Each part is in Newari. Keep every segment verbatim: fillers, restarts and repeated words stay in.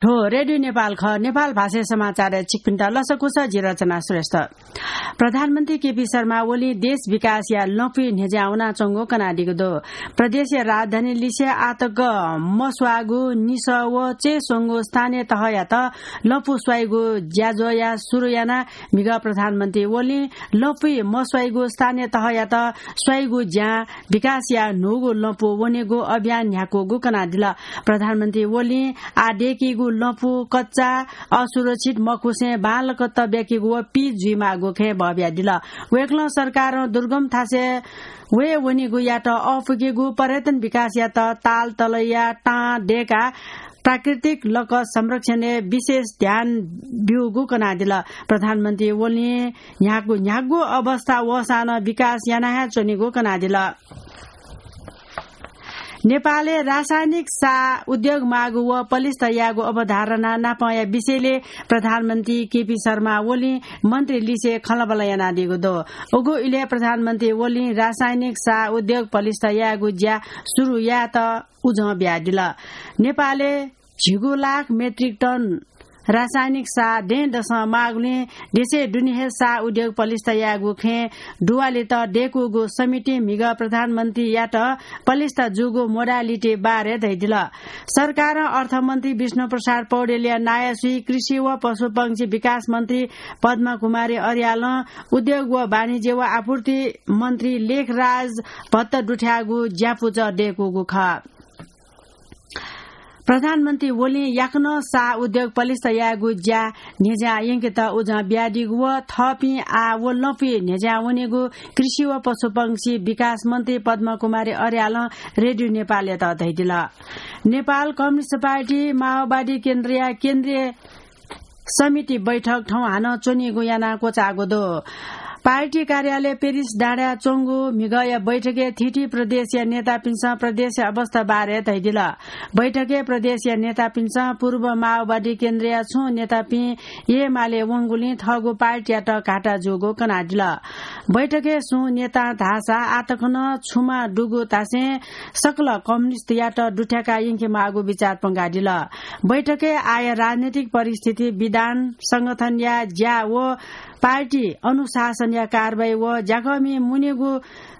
थ्व रेडियो नेपाल खः। नेपाल भाषाय् समाचारय् छिकपिन्त लसकुस, जि रचना श्रेष्ठ। प्रधानमन्त्री केपी शर्मा ओलीं देश विकासया लँपुइ न्ह्यज्यां वनाच्वंगु कनादीगु दु। प्रदेशया राजधानी लिसे आतक मस्वाःगु निसः व चय् स्वंगु स्थानीय तहयात लँपु स्वाइगु ज्याझ्वःया सुरु यानाः म्हिगः प्रधानमन्त्री ओलीं लँपुइ मस्वाइगु स्थानीय तहयात स्वाइगु ज्यां विकासया न्हूगु लँपु वनेगु अभियान न्ह्याकूगु कनादिल। प्रधानमन्त्री ओलीं आः दय्कीगु लँपु कच्चा, असुरक्षित मखुसें बांलाक तब्याकीगु व पिच जुइमाःगु खँय् बहबियादिल। वय्कलं सरकारं दुर्गम थासय् वये वनीगुयात अःपुकेगु पर्यटन विकासयात ताल तलैया तां दय्काः प्राकृतिक लकः संरक्षणय् विशेष ध्यान ब्यूगु कनादिल। प्रधानमन्त्री ओलीं न्ह्यागु न्ह्यागु अवस्था वःसां नं विकास याना हे च्वनीगु कनादिल। नेपालय् रासायनिक साः उद्योग माःगु व पलिस्था यायेगु अवधारणा नापंया विषयलय् प्रधानमन्त्री केपी शर्मा ओलीं मन्त्री लिसे खँल्हाबल्हा यानादीगु दु। उगु इलय् प्रधानमन्त्री ओलीं रासायनिक साः उद्योग पलिस्था यायेगु ज्या सुरु यायेत उजं बियादिल। नेपालय् झिगू लाख मेट्रिक टन रासायनिक साः दँय्दसं माःगुलिं देशय् दुने हे साः उद्योग पलिस्था यायेगु खँय् दुवालेत दय्कूगु समितिं म्हिगः प्रधानमन्त्रीयात पलिस्था जूगु modality बारे धयादिल। सरकारं अर्थमन्त्री विष्णु प्रसाद पौडेलया नायःसुइ कृषि व पशुपंक्षी विकास मन्त्री पद्मा कुमारी अर्यालं उद्योग व वाणिज्य व आपूर्ति मन्त्री लेखराज भट्ट दुथ्याःगु ज्यापुचः दय्कूगु खः। प्रधानमन्त्री ओलीं याकनं साः उद्योग पलिस्था यायेगु ज्या न्ह्यज्यां यंकेत उजं बियादीगु व थःपिं आः व लँपुइ न्ह्यज्यां वनेगु कृषि व पशुपंक्षी विकास मन्त्री पद्मा कुमारी अर्यालं रेडियो नेपालयात धयादिल। नेपाल कम्युनिस्ट पार्टी माओवादी केन्द्रया केन्द्रीय समिति बैठक थौं हानं च्वनीगु यानाः क्वचाःगु दु। पार्टी कार्यालय पेरिस डाँडाय् च्वंगु म्हिगःया बैठकय् थीथी प्रदेशया नेतापिन्सं प्रदेशया अवस्था बारे धयादिल। बैठकय् प्रदेशया नेतापिन्सं पूर्व माओवादी केन्द्रया छुं नेतापिं एमाले वंगुलिं थःगु पार्टीयात घाटा जूगु कनादिल। बैठकय् सुं नेतां धाःसा आः तक नं छुमा दुगु धासें सकल कम्युनिस्टयात दुथ्याका यंकेमाःगु बिचाः प्वंकादिल। बैठकय् आःया राजनैतिक परिस्थिति, विधान, संगठनया ज्या व पार्टी अनुशासनया कारवाही व ज्याकःमि मुनेगु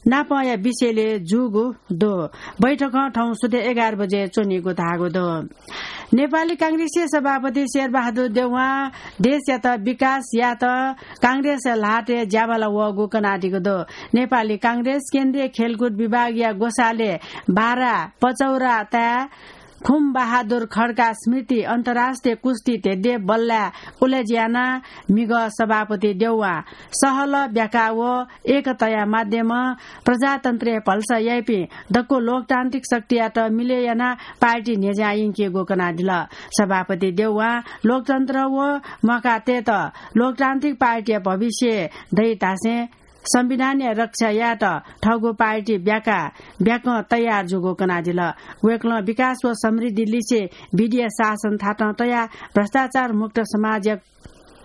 नापंया विषयलय् जूगु दु। बैठकं थौं सुथय् एघार बजे च्वनीगु धाःगु दु। नेपाली कांग्रेसया सभापति शेरबहादुर देउवां देशयात विकास यायेत कांग्रेसया ल्हातय् ज्याभाला वःगु कनादीगु दु। नेपाली कांग्रेस केन्द्रीय खेलकुद विभागया ग्वसालय् बारा पचौराताय् खुम बहादुर खड्का स्मृति अन्तर्राष्ट्रिय कुस्ती धेद्यः बल्लाय् उलेज्यानाः म्हिगः सभापति देउवां सहलह ब्याका व एकताया माध्यमं प्रजातन्त्रय् भलसा याइपिं दक्व लोकतान्त्रिक शक्तियात मिलय् यानाः पार्टी न्ह्यज्यां यंकीगु कनादिल। सभापति देउवां लोकतन्त्र व मखुतय्त लोकतान्त्रिक पार्टीया भविष्य दइ धासें संविधानया रक्षा यायेत थःगु पार्टी ब्याका ब्याकं तयार जूगु कनादिल। वय्कलं विकास व समृद्धि लिसे विधिया शासन थातं तयाः भ्रष्टाचार मुक्त समाजया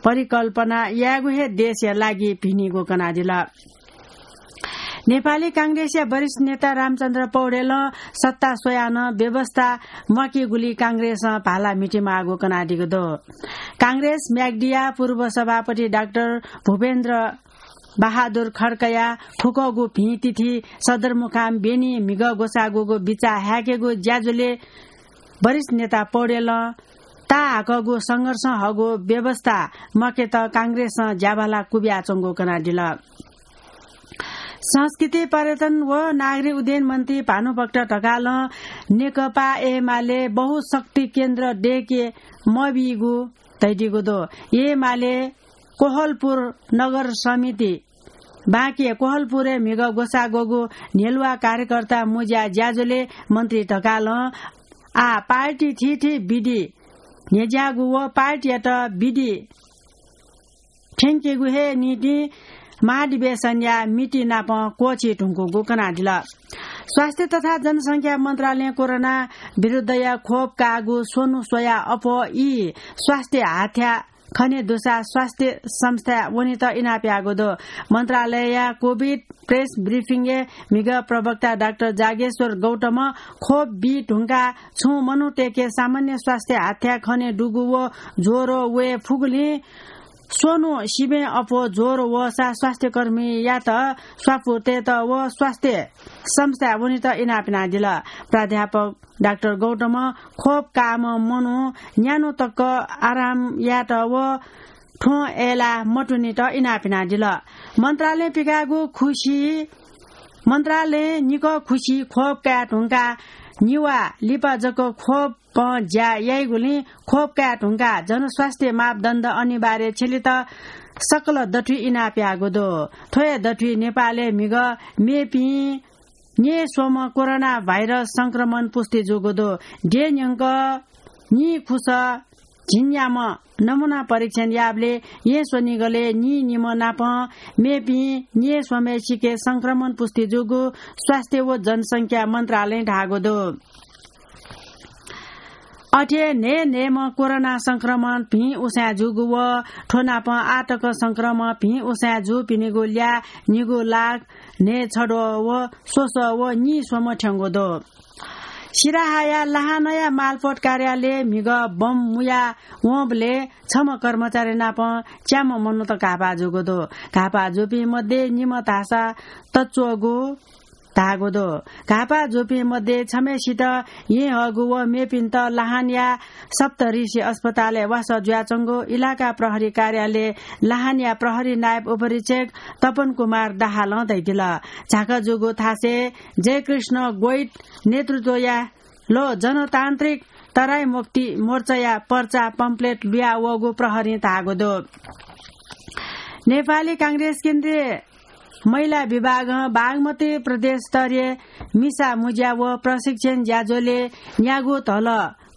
परिकल्पना यायेगु हे देशया लागि भिनीगु कनादिल। नेपाली कांग्रेसया वरिष्ठ नेता रामचन्द्र पौडेलं सत्ता स्वयाः नं व्यवस्था म्वाकीगुली कांग्रेसं भाला म्हितीमाःगु कनादीगु दु। कांग्रेस म्याग्दीया पूर्व सभापति डाक्टर भूपेन्द्र बहादुर खड्काया खुकःगु भिं तिथि सदरमुकाम ब्यनी म्हिगः ग्वसाः ग्वःगु बिचाः हाय्केगु ज्याझ्वलय् वरिष्ठ नेता पौडेलं ताःहाकःगु संघर्षं हःगु व्यवस्था म्वाकेत कांग्रेसं ज्याभाला क्वबियाच्वंगु कनादिल। संस्कृति, पर्यटन व नागरिक उड्डयन मन्त्री भानुभक्त ढकालं नेकपा एमाले बहुशक्ति केन्द्र दय्के मबीगु धयादीगु दु। एमाले कोहलपुर नगर समिति बाँके कोहलपुरय् म्हिगः ग्वसाः ग्वःगु न्ह्यलुवा कार्यकर्ता मुँज्या ज्याझ्वलय् मन्त्री ढकालं आः पार्टी थीथी विधि न्ह्यज्याःगु व पार्टीयात विधि थ्यंकेगु हे निंतिं महाधिवेशनया मिति नाप क्वःछी धुंकूगु कनादिल। स्वास्थ्य तथा जनसंख्या मन्त्रालयं कोरोना विरुद्धया खोप काःगु स्वन्हु स्वयाः अप्वः ई स्वास्थ्य हाथ्या खने दुसा स्वास्थ्य संस्था वनेत इनाप याःगु दु। मन्त्रालयया कोभिड प्रेस ब्रिफिङय् म्हिगः प्रवक्ता डाक्टर जागेश्वर गौतमं खोप बी धुंकाः छुं मनूतय्के सामान्य स्वास्थ्य हाथ्या खने दुगु व ज्वरो वये फुगुलिं स्वन्हु सिबें अप्वः ज्वरो वःसा स्वास्थ्यकर्मीयात स्वापू तयेत व स्वास्थ्य संस्था वनेत इनाप यानादिल। प्राध्यापक डाक्टर गौतमं खोप काःम्ह मनू न्यान्हु तक आराम यायेत व थ्वँ अय्लाः मतुनेत इनाप यानादिल। मन्त्रालयं पिकाःगु खुसी, मन्त्रालयं निकः खुसी खोप काये धुंकाः निवाः लिपा जक खोपं ज्या याइगुलिं खोप काये धुंकाः जनस्वास्थ्य मापदण्ड अनिवार्य छ्यलेत सकल दथुइ इनाप याःगु दु। थ्व हे दथुइ नेपालय् म्हिगः मेपिं न्यय्स्वम्ह कोरोना भाइरस संक्रमण पुष्टि जूगु दु। देय् न्यंक नीखुस झिंन्याम्ह नमूना परीक्षण याःबलय् येँ स्वनिगलय् नीनिम्ह नाप मेपिं न्यय्स्वम्हय्सिके संक्रमण पुष्टि जूगु स्वास्थ्य व जनसंख्या मन्त्रालयं धाःगु दु। अथे न्हय्न्हय्म्ह कोरोना संक्रमण भिं उसाँय् जूगु व थ्व नाप आःतक संक्रमण भिं उसाँय् जूपिनिगु ल्याः निगू लाख न्हय्छदँ व स्वसः व नीस्वम्ह थ्यंगु दु। सिराहाया लाहानया मालपोत कार्यालयय् म्हिगः बम मुया वंबलय् छम्ह कर्मचारी नाप च्याम्ह मनूत घाःपाः जूगु दु। घाःपाः जूपिं मध्ये निम्ह धाःसा तच्वःगु धाःगु दु। घाःपाः जूपिं मध्ये छम्हय्सित येँ हःगु व मेपिन्त लाहानया सप्तऋषि अस्पतालय् वासः जुयाच्वंगु इलाका प्रहरी कार्यालय लाहानया प्रहरी नायब उपरीक्षक तपन कुमार दाहालं धयादिल। झाँक्क जूगु थासय् जयकृष्ण गोइट नेतृत्वया लो जनतान्त्रिक तराई मुक्ति मोर्चाया पर्चा पम्पलेट लुया वःगु प्रहरीं धाःगु दु। नेपाली कांग्रेस केन्द्रीय महिला विभागं बागमती प्रदेश स्तरीय मिसा मुज्या व प्रशिक्षण ज्याझ्वलय् न्यागू धल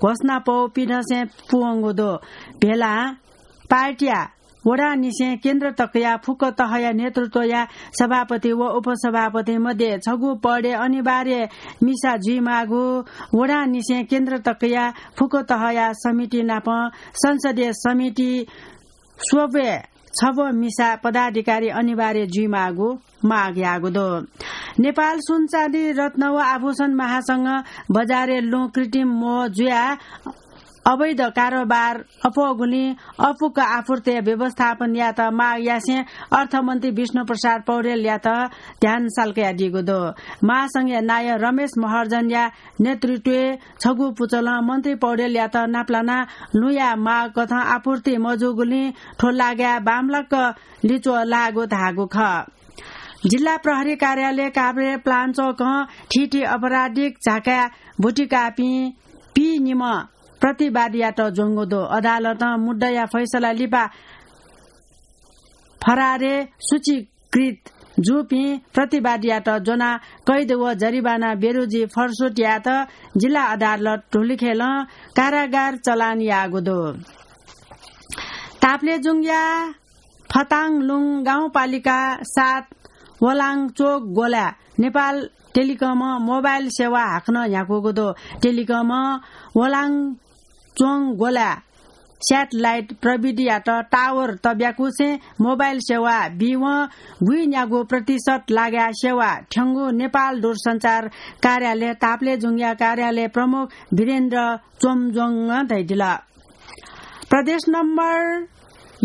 घोषणापौ पिदँसे पूवंगु दु। भेलां पार्टीया वडांनिसें केन्द्र तकया फुक्क तहया नेतृत्वया सभापति व उपसभापति मध्ये छगू पदय् अनिवार्य मिसा जुइमाःगु, वडांनिसें केन्द्र तकया फुक्क तहया समिति नाप संसदीय समिति स्वब्वय् छब्व मिसा पदाधिकारी अनिवार्य जुइमाःगु माग याःगु दु। नेपाल सुनचाँदी रत्न व आभूषण महासंघं बजारय् लुँ कृत्रिम मोह जुयाः अवैध कारोबार अप्वःगुलिं अफुक्क आपूर्तिया व्यवस्थापन यायेत माग यासें अर्थमन्त्री विष्णु प्रसाद पौडेलयात ध्यान साल्कयादीगु दु। महासंघया नायः रमेश महर्जनया नेतृत्वय् छगू पुचलं मन्त्री पौडेलयात नापलानाः लुँया माग कथं आपूर्ति मजूगुलिं थ्व लागाय् बांमलाक लिच्वः लाःगु धाःगु खः। जिल्ला प्रहरी कार्यालय काभ्रे प्लाञ्चोकं थीथी अपराधिक झाँकाय् बुटिकाःपिं पीनिम्ह प्रतिवादीयात ज्वंगु दु। अदालतं मुद्दाया फैसला लिपा फरारय् सूचीकृत जूपिं प्रतिवादीयात ज्वनाः कैद व जरिवाना बेरुजी फरसुत यायेत जिल्ला अदालत धुलिखेलं कारागार चलान याःगु दु। ताप्लेजुङया फताङलुङ गाउँपालिका सात वलाङ चोक ग्वलाय् नेपाल टेलिकमं मोबाइल सेवा हाकनं न्ह्याकूगु दु। टेलिकमं वलाङ चोङ ग्वलाय् स्याटेलाइट प्रविधियात टावर तब्याकुसें मोबाइल सेवा बीवं गुइन्यागू प्रतिशत लागाय् सेवा थ्यंगु नेपाल दूरसञ्चार कार्यालय ताप्लेजुङया कार्यालय प्रमुख वीरेन्द्र चोमजोङं धयादिल। प्रदेश नम्बर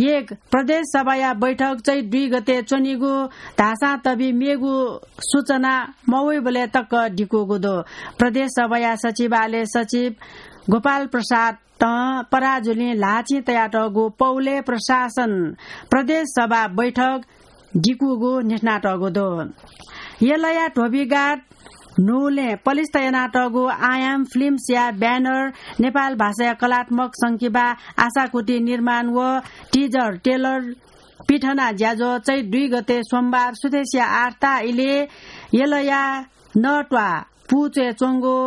एक प्रदेश सभाया बैठक चैत दुई गते च्वनीगु धाःसां तबि मेगु सूचना मवइबलय् तक दिकूगु दु। प्रदेश सभाया सचिवालय सचिव गोपाल प्रसादं पराजुलिं ल्हाःचिं तयातःगु पौलय् प्रशासन प्रदेश सभा बैठक दिकूगु न्ह्यथनातःगु दु। यलया धोबीघाट न्हूलय् पलिस्था यानातःगु आयाम फिल्म्सया ब्यानर नेपाल भाषाया कलात्मक संकिपा आशाकुटी निर्माण व टिजर ट्रेलर पिथना ज्याझ्वः चैत दुई गते सोमबार सुथसिया आठ ता इलय् यलया नत्वाः पुचय् च्वंगु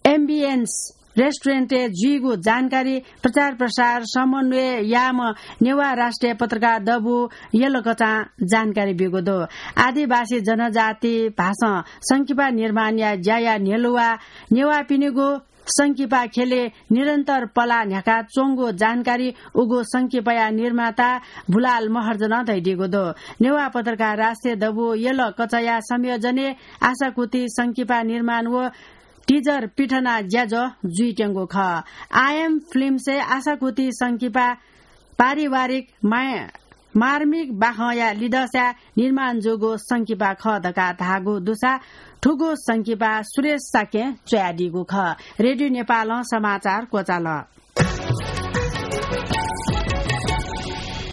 एम्बियन्स रेस्टुरेन्टय् जुइगु जानकारी प्रचार प्रसार समन्वय याःम्ह नेवाः राष्ट्रिय पत्रकार दबू यलकचां जानकारी ब्यूगु दु। आदिवासी जनजाति भाषां संकिपा निर्माणया ज्याया न्ह्यलुवा नेवाःपिनिगु संकिपा ख्यलय् निरन्तर पलाः न्ह्याका च्वंगु जानकारी उगु संकिपाया निर्माता भुलाल महर्जनं धयादीगु दु। नेवाः पत्रकार राष्ट्रिय दबू यल कचया संयोजनय् आशाकुति संकिपा निर्माण व teaser पिथना ज्याझ्वः जुइत्यंगु खः। आयम फिल्मसय् आशाकुति संकिपा पारिवारिक माया, मार्मिक बाखंया लिदःसा निर्माण जूगु संकिपा खः धकाः धाःगु दुसा थुगु संकिपा सुरेश शाक्यं च्वयादीगु खः। रेडियो नेपालं समाचार क्वचाल।